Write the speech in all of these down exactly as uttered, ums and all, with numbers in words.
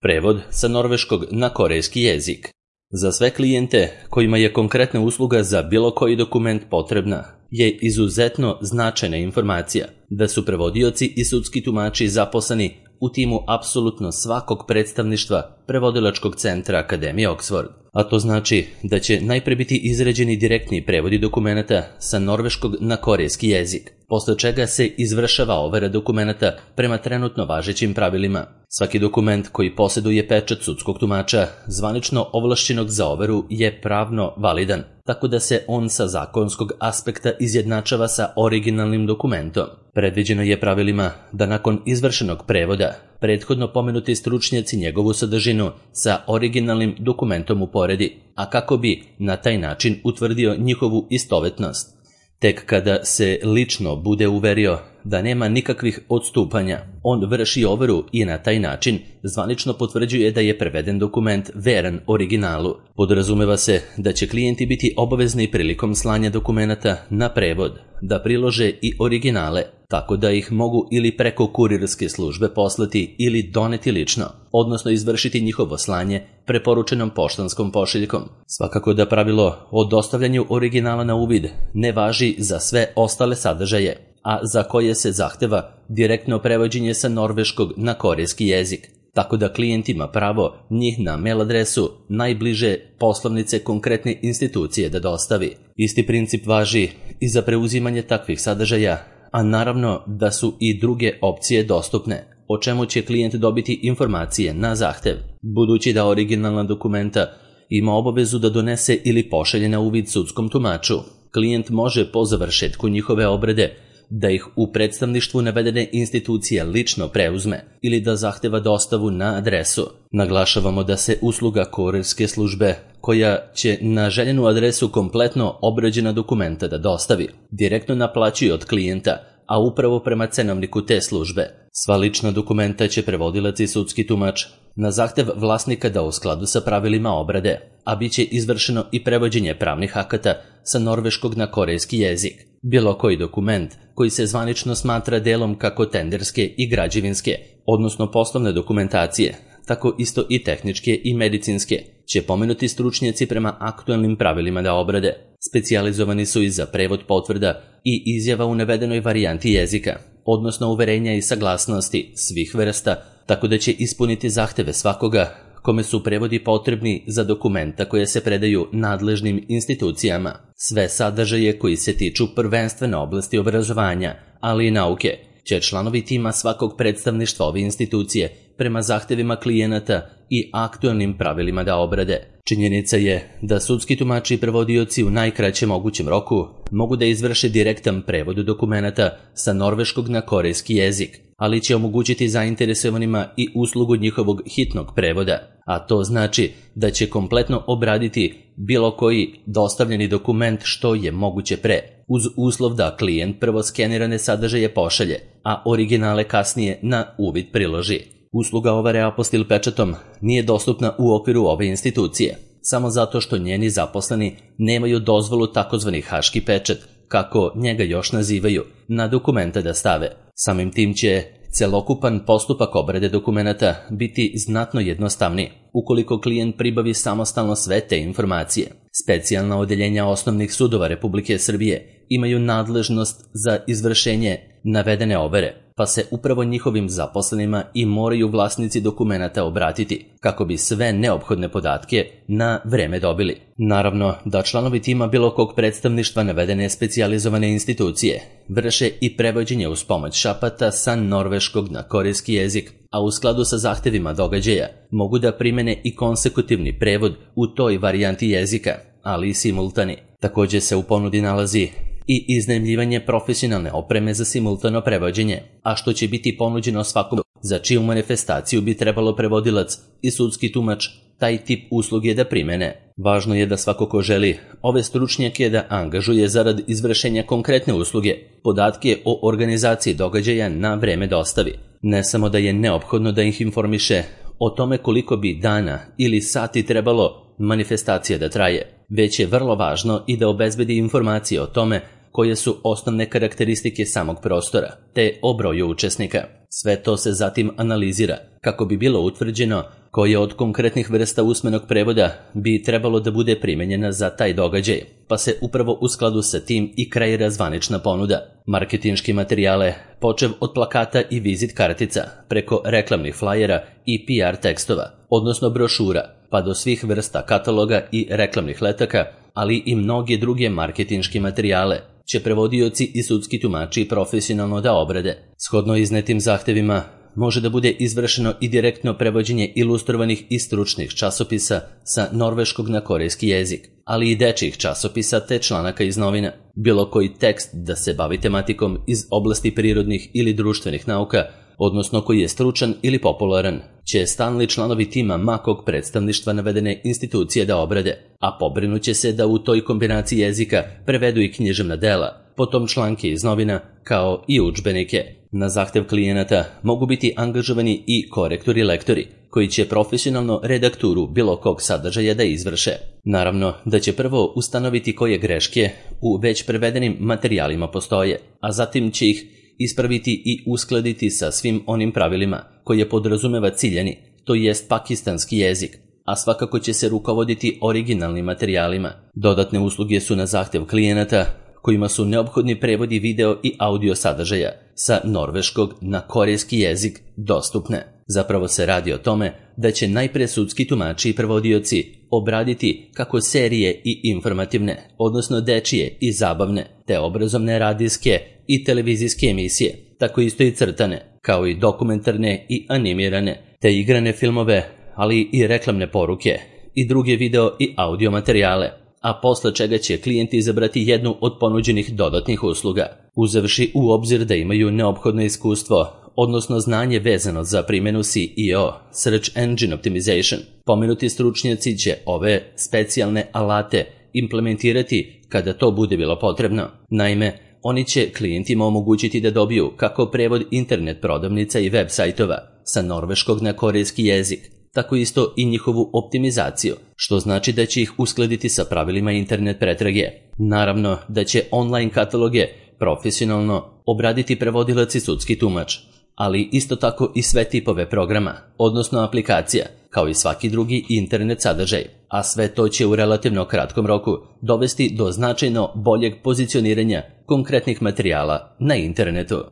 Prevod sa norveškog na korejski jezik. Za sve klijente kojima je konkretna usluga za bilo koji dokument potrebna, je izuzetno značajna informacija da su prevodioci i sudski tumači zaposleni u timu apsolutno svakog predstavništva Prevodilačkog centra Akademije Oxford. A to znači da će najpre biti izrađeni direktni prevodi dokumenata sa norveškog na korejski jezik, posle čega se izvršava overa dokumenata prema trenutno važećim pravilima. Svaki dokument koji posjeduje pečat sudskog tumača, zvanično ovlašćenog za overu, je pravno validan, tako da se on sa zakonskog aspekta izjednačava sa originalnim dokumentom. Predviđeno je pravilima da nakon izvršenog prevoda prethodno pomenuti stručnjaci njegovu sadržinu sa originalnim dokumentom uporedi, a kako bi na taj način utvrdio njihovu istovetnost. Tek kada se lično bude uverio da nema nikakvih odstupanja, on vrši overu i na taj način zvanično potvrđuje da je preveden dokument veran originalu. Podrazumeva se da će klijenti biti obavezni prilikom slanja dokumenata na prevod da prilože i originale, tako da ih mogu ili preko kurirske službe poslati ili doneti lično, odnosno izvršiti njihovo slanje preporučenom poštanskom pošiljkom. Svakako da pravilo o dostavljanju originala na uvid ne važi za sve ostale sadržaje, a za koje se zahteva direktno prevođenje sa norveškog na korejski jezik, tako da klijent ima pravo njih na mail adresu najbliže poslovnice konkretne institucije da dostavi. Isti princip važi i za preuzimanje takvih sadržaja, a naravno da su i druge opcije dostupne, o čemu će klijent dobiti informacije na zahtev. Budući da originalna dokumenta ima obavezu da donese ili pošalje na uvid sudskom tumaču, klijent može po završetku njihove obrade da ih u predstavništvu navedene institucije lično preuzme ili da zahteva dostavu na adresu. Naglašavamo da se usluga kurirske službe, koja će na željenu adresu kompletno obrađena dokumenta da dostavi, direktno naplaćuje od klijenta, a upravo prema cenovniku te službe. Sva lična dokumenta će prevodilac i sudski tumač na zahtev vlasnika da u skladu sa pravilima obrade, a bit će izvršeno i prevođenje pravnih akata sa norveškog na korejski jezik. Bilo koji dokument koji se zvanično smatra delom kako tenderske i građevinske, odnosno poslovne dokumentacije, tako isto i tehničke i medicinske, će pomenuti stručnjaci prema aktualnim pravilima da obrade. Specijalizovani su i za prevod potvrda i izjava u navedenoj varijanti jezika, odnosno uverenja i saglasnosti svih vrsta, tako da će ispuniti zahteve svakoga kome su prevodi potrebni za dokumenta koje se predaju nadležnim institucijama. Sve sadržaje koji se tiču prvenstvene oblasti obrazovanja, ali i nauke, će članovi tima svakog predstavništva ove institucije prema zahtevima klijenata i aktualnim pravilima da obrade. Činjenica je da sudski tumači i prevodioci u najkraćem mogućem roku mogu da izvrše direktan prevod dokumenata sa norveškog na korejski jezik, ali će omogućiti zainteresovanima i uslugu njihovog hitnog prevoda, a to znači da će kompletno obraditi bilo koji dostavljeni dokument što je moguće pre, uz uslov da klijent prvo skenirane sadržaje pošalje, a originale kasnije na uvid priloži. Usluga overe apostil pečatom nije dostupna u okviru ove institucije, samo zato što njeni zaposleni nemaju dozvolu takozvani haški pečat, kako njega još nazivaju, na dokumenta da stave. Samim tim će celokupan postupak obrade dokumenata biti znatno jednostavniji ukoliko klijent pribavi samostalno sve te informacije. Specijalna odeljenja osnovnih sudova Republike Srbije imaju nadležnost za izvršenje navedene overe, pa se upravo njihovim zaposlenima i moraju vlasnici dokumenata obratiti kako bi sve neophodne podatke na vreme dobili. Naravno da članovi tima bilo kog predstavništva navedene specijalizovane institucije vrše i prevođenje uz pomoć šapata sa norveškog na korejski jezik, a u skladu sa zahtevima događaja mogu da primene i konsekutivni prevod u toj varijanti jezika, ali i simultani. Također se u ponudi nalazi i iznajmljivanje profesionalne opreme za simultano prevođenje, a što će biti ponuđeno svakom za čiju manifestaciju bi trebalo prevodilac i sudski tumač taj tip usluge da primene. Važno je da svako ko želi ove stručnjake da angažuje zarad izvršenja konkretne usluge, podatke o organizaciji događaja na vreme dostavi. Ne samo da je neophodno da ih informiše o tome koliko bi dana ili sati trebalo manifestacija da traje, već je vrlo važno i da obezbedi informacije o tome koje su osnovne karakteristike samog prostora, te o broju učesnika. Sve to se zatim analizira kako bi bilo utvrđeno koje od konkretnih vrsta usmenog prevoda bi trebalo da bude primenjena za taj događaj, pa se upravo u skladu sa tim i kreira zvanična ponuda. Marketinški materijale, počev od plakata i vizit kartica, preko reklamnih flajera i P R tekstova, odnosno brošura, pa do svih vrsta kataloga i reklamnih letaka, ali i mnoge druge marketinški materijale, će prevodioci i sudski tumači profesionalno da obrade. Shodno iznetim zahtevima, može da bude izvršeno i direktno prevođenje ilustrovanih i stručnih časopisa sa norveškog na korejski jezik, ali i dečjih časopisa te članaka iz novina. Bilo koji tekst da se bavi tematikom iz oblasti prirodnih ili društvenih nauka, odnosno koji je stručan ili popularan, će stalni članovi tima makog predstavništva navedene institucije da obrade, a pobrinuće se da u toj kombinaciji jezika prevedu i književna dela, potom članke iz novina, kao i udžbenike. Na zahtev klijenata mogu biti angažovani i korektori lektori, koji će profesionalno redakturu bilo kog sadržaja da izvrše. Naravno da će prvo ustanoviti koje greške u već prevedenim materijalima postoje, a zatim će ih ispraviti i uskladiti sa svim onim pravilima koje podrazumeva ciljani, to jest pakistanski jezik, a svakako će se rukovoditi originalnim materijalima. Dodatne usluge su na zahtev klijenata, kojima su neophodni prevodi video i audio sadržaja sa norveškog na korejski jezik dostupne. Zapravo se radi o tome da će najpre sudski tumači i prevodioci obraditi kako serije i informativne, odnosno dečije i zabavne, te obrazovne radijske i televizijske emisije, tako isto i crtane, kao i dokumentarne i animirane, te igrane filmove, ali i reklamne poruke i druge video i audio materijale, a posle čega će klijenti izabrati jednu od ponuđenih dodatnih usluga, uzevši u obzir da imaju neophodno iskustvo, odnosno znanje vezano za primjenu S E O, Search Engine Optimization. Pomenuti stručnjaci će ove specijalne alate implementirati kada to bude bilo potrebno. Naime, oni će klijentima omogućiti da dobiju kako prevod internet prodavnica i web sajtova sa norveškog na korejski jezik, tako isto i njihovu optimizaciju, što znači da će ih uskladiti sa pravilima internet pretrage. Naravno da će online kataloge profesionalno obraditi prevodilac i sudski tumač, ali isto tako i sve tipove programa, odnosno aplikacija, kao i svaki drugi internet sadržaj, a sve to će u relativno kratkom roku dovesti do značajno boljeg pozicioniranja konkretnih materijala na internetu.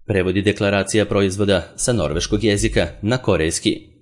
Prevodi deklaracija proizvoda sa norveškog jezika na korejski.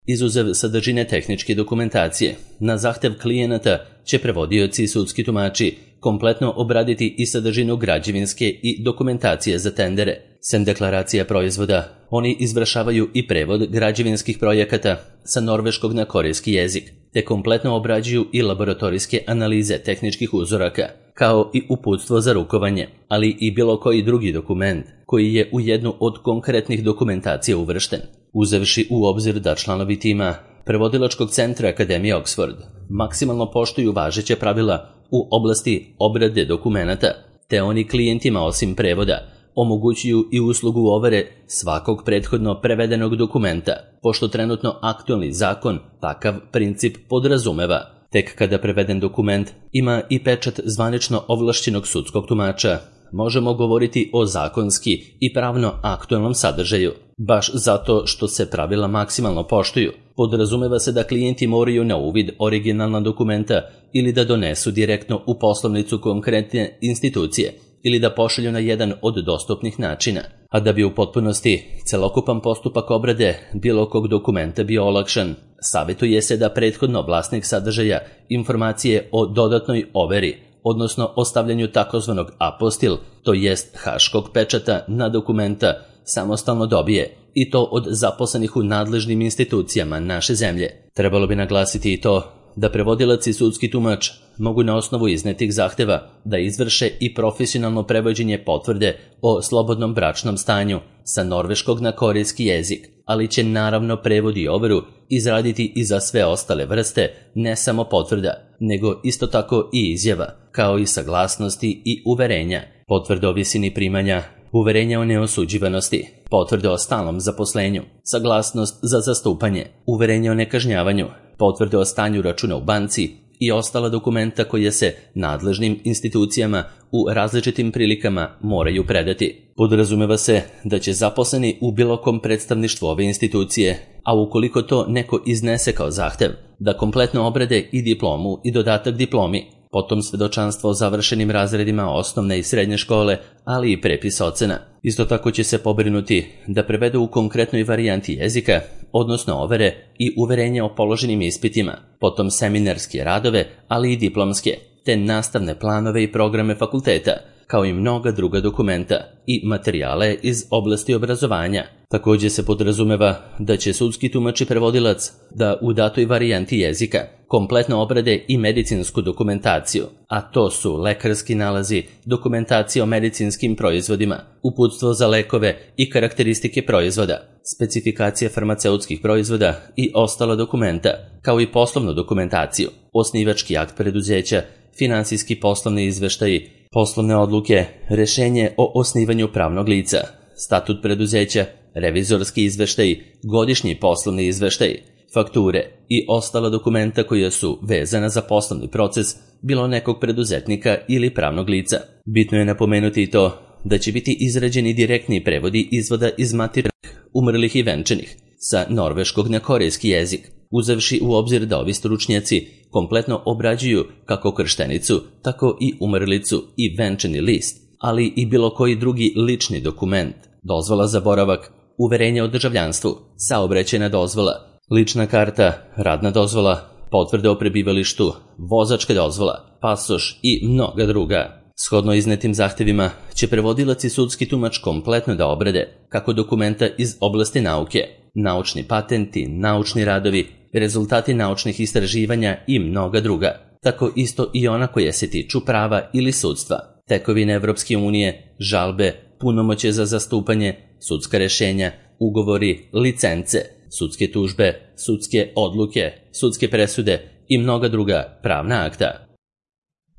Izuzev sadržine tehničke dokumentacije, na zahtev klijenata će prevodioci i sudski tumači kompletno obraditi i sadržinu građevinske i dokumentacije za tendere. Sem deklaracija proizvoda, oni izvršavaju i prevod građevinskih projekata sa norveškog na korejski jezik, te kompletno obrađuju i laboratorijske analize tehničkih uzoraka, kao i uputstvo za rukovanje, ali i bilo koji drugi dokument koji je u jednu od konkretnih dokumentacija uvršten. Uzevši u obzir da članovi tima prevodilačkog centra Akademije Oxford maksimalno poštuju važeće pravila u oblasti obrade dokumenata, te oni klijentima osim prevoda omogućuju i uslugu overe svakog prethodno prevedenog dokumenta, pošto trenutno aktualni zakon takav princip podrazumeva. Tek kada preveden dokument ima i pečat zvanično ovlašćenog sudskog tumača, možemo govoriti o zakonski i pravno aktualnom sadržaju. Baš zato što se pravila maksimalno poštuju, podrazumeva se da klijenti moraju na uvid originalna dokumenta ili da donesu direktno u poslovnicu konkretne institucije ili da pošalju na jedan od dostupnih načina. A da bi u potpunosti celokupan postupak obrade bilo kog dokumenta bio olakšan, savjetuje se da prethodno vlasnik sadržaja informacije o dodatnoj overi, odnosno ostavljanju takozvanog apostil, to jest haškog pečata na dokumenta, samostalno dobije, i to od zaposlenih u nadležnim institucijama naše zemlje. Trebalo bi naglasiti i to da prevodilac i sudski tumač mogu na osnovu iznetih zahteva da izvrše i profesionalno prevođenje potvrde o slobodnom bračnom stanju sa norveškog na korejski jezik, ali će naravno prevod i overu izraditi i za sve ostale vrste, ne samo potvrda, nego isto tako i izjava, kao i saglasnosti i uverenja, potvrde o visini primanja, uverenja o neosuđivanosti, potvrde o stalnom zaposlenju, saglasnost za zastupanje, uverenje o nekažnjavanju, potvrde o stanju računa u banci i ostala dokumenta koja se nadležnim institucijama u različitim prilikama moraju predati. Podrazumeva se da će zaposleni u bilo kom predstavništvu ove institucije, a ukoliko to neko iznese kao zahtev, da kompletno obrade i diplomu i dodatak diplomi, potom svedočanstvo o završenim razredima osnovne i srednje škole, ali i prepis ocena. Isto tako će se pobrinuti da prevedu u konkretnoj varijanti jezika, odnosno overe i uverenje o položenim ispitima, potom seminarske radove, ali i diplomske, te nastavne planove i programe fakulteta, kao i mnoga druga dokumenta i materijale iz oblasti obrazovanja. Također se podrazumeva da će sudski tumač i prevodilac da u datoj varijanti jezika kompletno obrade i medicinsku dokumentaciju, a to su lekarski nalazi, dokumentacija o medicinskim proizvodima, uputstvo za lekove i karakteristike proizvoda, specifikacije farmaceutskih proizvoda i ostala dokumenta, kao i poslovnu dokumentaciju, osnivački akt preduzeća, finansijski poslovni izveštaji, poslovne odluke, rešenje o osnivanju pravnog lica, statut preduzeća, revizorski izveštaji, godišnji poslovni izveštaji, fakture i ostala dokumenta koja su vezana za poslovni proces bilo nekog preduzetnika ili pravnog lica. Bitno je napomenuti i to da će biti izrađeni direktni prevodi izvoda iz materinskih, umrlih i venčanih sa norveškog na korejski jezik, uzevši u obzir da ovi stručnjaci kompletno obrađuju kako krštenicu, tako i umrlicu i venčani list, ali i bilo koji drugi lični dokument, dozvola za boravak, uverenje o državljanstvu, saobraćajna dozvola, lična karta, radna dozvola, potvrde o prebivalištu, vozačka dozvola, pasoš i mnoga druga. Shodno iznetim zahtevima će prevodilac i sudski tumač kompletno da obrade kako dokumenta iz oblasti nauke, naučni patenti, naučni radovi, rezultati naučnih istraživanja i mnoga druga, tako isto i ona koja se tiču prava ili sudstva, tekovine Evropske unije, žalbe, punomoćje za zastupanje, sudska rešenja, ugovori, licence, sudske tužbe, sudske odluke, sudske presude i mnoga druga pravna akta.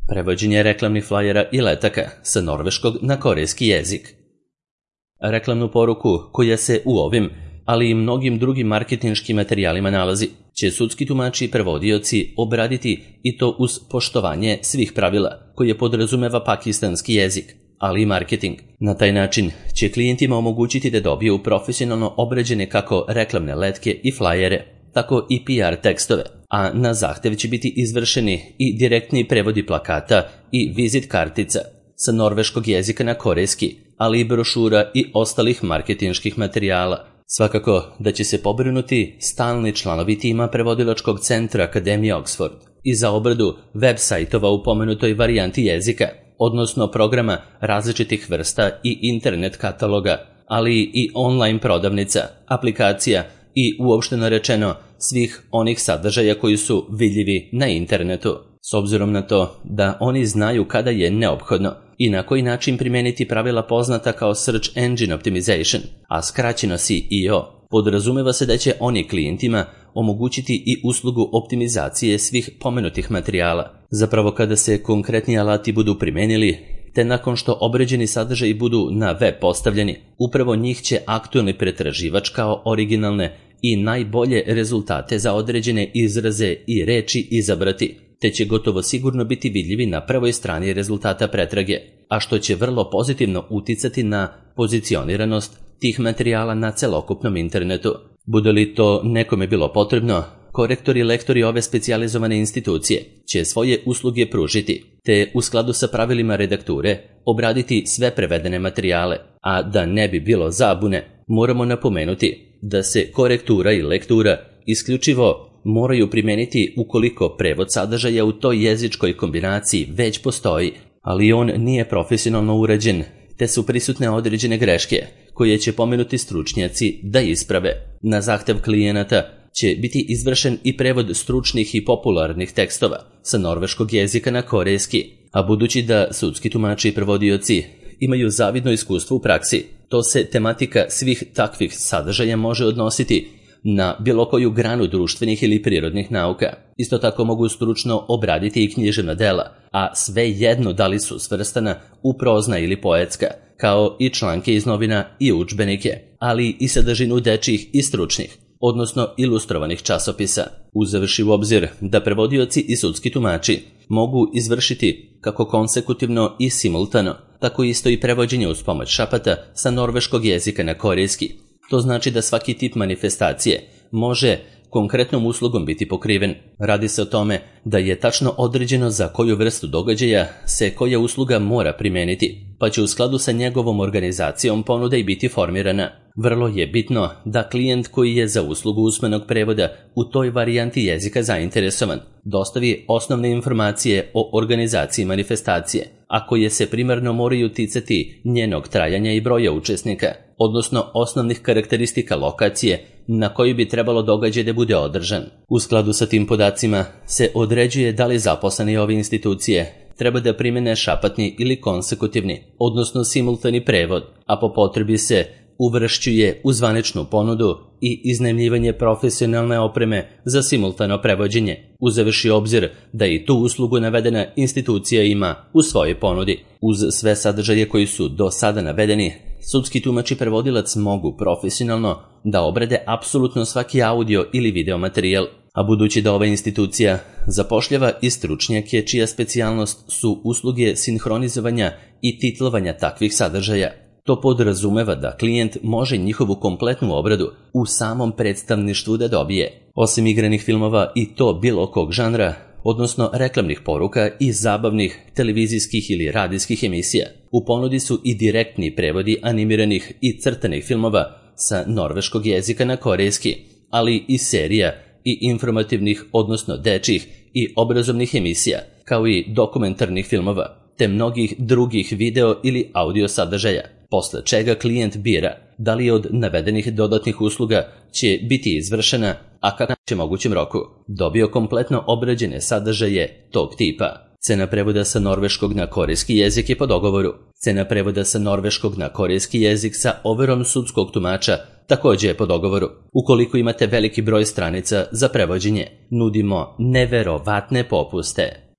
Prevođenje reklamnih flajera i letaka sa norveškog na korejski jezik. Reklamnu poruku koja se u ovim, ali i mnogim drugim marketinškim materijalima nalazi, će sudski tumači i prevodioci obraditi i to uz poštovanje svih pravila koje podrazumeva pakistanski jezik, ali i marketing. Na taj način će klijentima omogućiti da dobiju profesionalno obrađene kako reklamne letke i flajere, tako i P R tekstove, a na zahtev će biti izvršeni i direktni prevodi plakata i vizit kartica sa norveškog jezika na korejski, ali i brošura i ostalih marketinških materijala. Svakako da će se pobrinuti stalni članovi tima prevodilačkog centra Akademije Oxford i za obradu web sajtova u pomenutoj varijanti jezika, odnosno programa različitih vrsta i internet kataloga, ali i online prodavnica, aplikacija i uopšteno rečeno svih onih sadržaja koji su vidljivi na internetu, s obzirom na to da oni znaju kada je neophodno i na koji način primijeniti pravila poznata kao Search Engine Optimization, a skraćeno S E O. Podrazumeva se da će oni klijentima omogućiti i uslugu optimizacije svih pomenutih materijala. Zapravo kada se konkretni alati budu primenili, te nakon što obređeni sadržaji budu na web postavljeni, upravo njih će aktualni pretraživač kao originalne i najbolje rezultate za određene izraze i reči izabrati, te će gotovo sigurno biti vidljivi na prvoj strani rezultata pretrage, a što će vrlo pozitivno uticati na pozicioniranost tih materijala na celokupnom internetu. Bude li to nekome bilo potrebno, korektori i lektori ove specijalizovane institucije će svoje usluge pružiti, te u skladu sa pravilima redakture obraditi sve prevedene materijale, a da ne bi bilo zabune, moramo napomenuti da se korektura i lektura isključivo moraju primeniti ukoliko prevod sadržaja u toj jezičkoj kombinaciji već postoji, ali on nije profesionalno urađen, te su prisutne određene greške koje će pomenuti stručnjaci da isprave. Na zahtev klijenata će biti izvršen i prevod stručnih i popularnih tekstova sa norveškog jezika na korejski, a budući da sudski tumači i prevodioci imaju zavidno iskustvo u praksi, to se tematika svih takvih sadržaja može odnositi na bilo koju granu društvenih ili prirodnih nauka. Isto tako mogu stručno obraditi i književna dela, a sve jedno da li su svrstana u prozna ili poetska, kao i članke iz novina i udžbenike, ali i sadržinu dečjih i stručnih, odnosno ilustrovanih časopisa. Uzevši u obzir da prevodioci i sudski tumači mogu izvršiti kako konsekutivno i simultano, tako isto i prevođenje uz pomoć šapata sa norveškog jezika na korejski. To znači da svaki tip manifestacije može konkretnom uslugom biti pokriven. Radi se o tome da je tačno određeno za koju vrstu događaja se koja usluga mora primeniti, pa će u skladu sa njegovom organizacijom ponuda i biti formirana. Vrlo je bitno da klijent koji je za uslugu usmenog prevoda u toj varijanti jezika zainteresovan dostavi osnovne informacije o organizaciji manifestacije, a koje se primarno moraju ticati njenog trajanja i broja učesnika, odnosno osnovnih karakteristika lokacije na kojoj bi trebalo događaj da bude održan. U skladu sa tim podacima se određuje da li zaposleni ove institucije treba da primene šapatni ili konsekutivni, odnosno simultani prevod, a po potrebi se uvršćuje u zvaničnu ponudu i iznajmljivanje profesionalne opreme za simultano prevođenje, uzevši obzir da i tu uslugu navedena institucija ima u svojoj ponudi. Uz sve sadržaje koji su do sada navedeni, sudski tumač i prevodilac mogu profesionalno da obrade apsolutno svaki audio ili video materijal, a budući da ova institucija zapošljava i stručnjake čija specijalnost su usluge sinhronizovanja i titlovanja takvih sadržaja, to podrazumeva da klijent može njihovu kompletnu obradu u samom predstavništvu da dobije. Osim igranih filmova i to bilo kog žanra, odnosno reklamnih poruka i zabavnih televizijskih ili radijskih emisija, u ponudi su i direktni prevodi animiranih i crtanih filmova sa norveškog jezika na korejski, ali i serija i informativnih, odnosno dečjih i obrazovnih emisija, kao i dokumentarnih filmova, te mnogih drugih video ili audio sadržaja, posle čega klijent bira da li od navedenih dodatnih usluga će biti izvršena, a kako će mogućem roku dobio kompletno obrađene sadržaje tog tipa. Cena prevoda sa norveškog na korejski jezik je po dogovoru. Cena prevoda sa norveškog na korejski jezik sa overom sudskog tumača takođe je po dogovoru. Ukoliko imate veliki broj stranica za prevođenje, nudimo neverovatne popuste.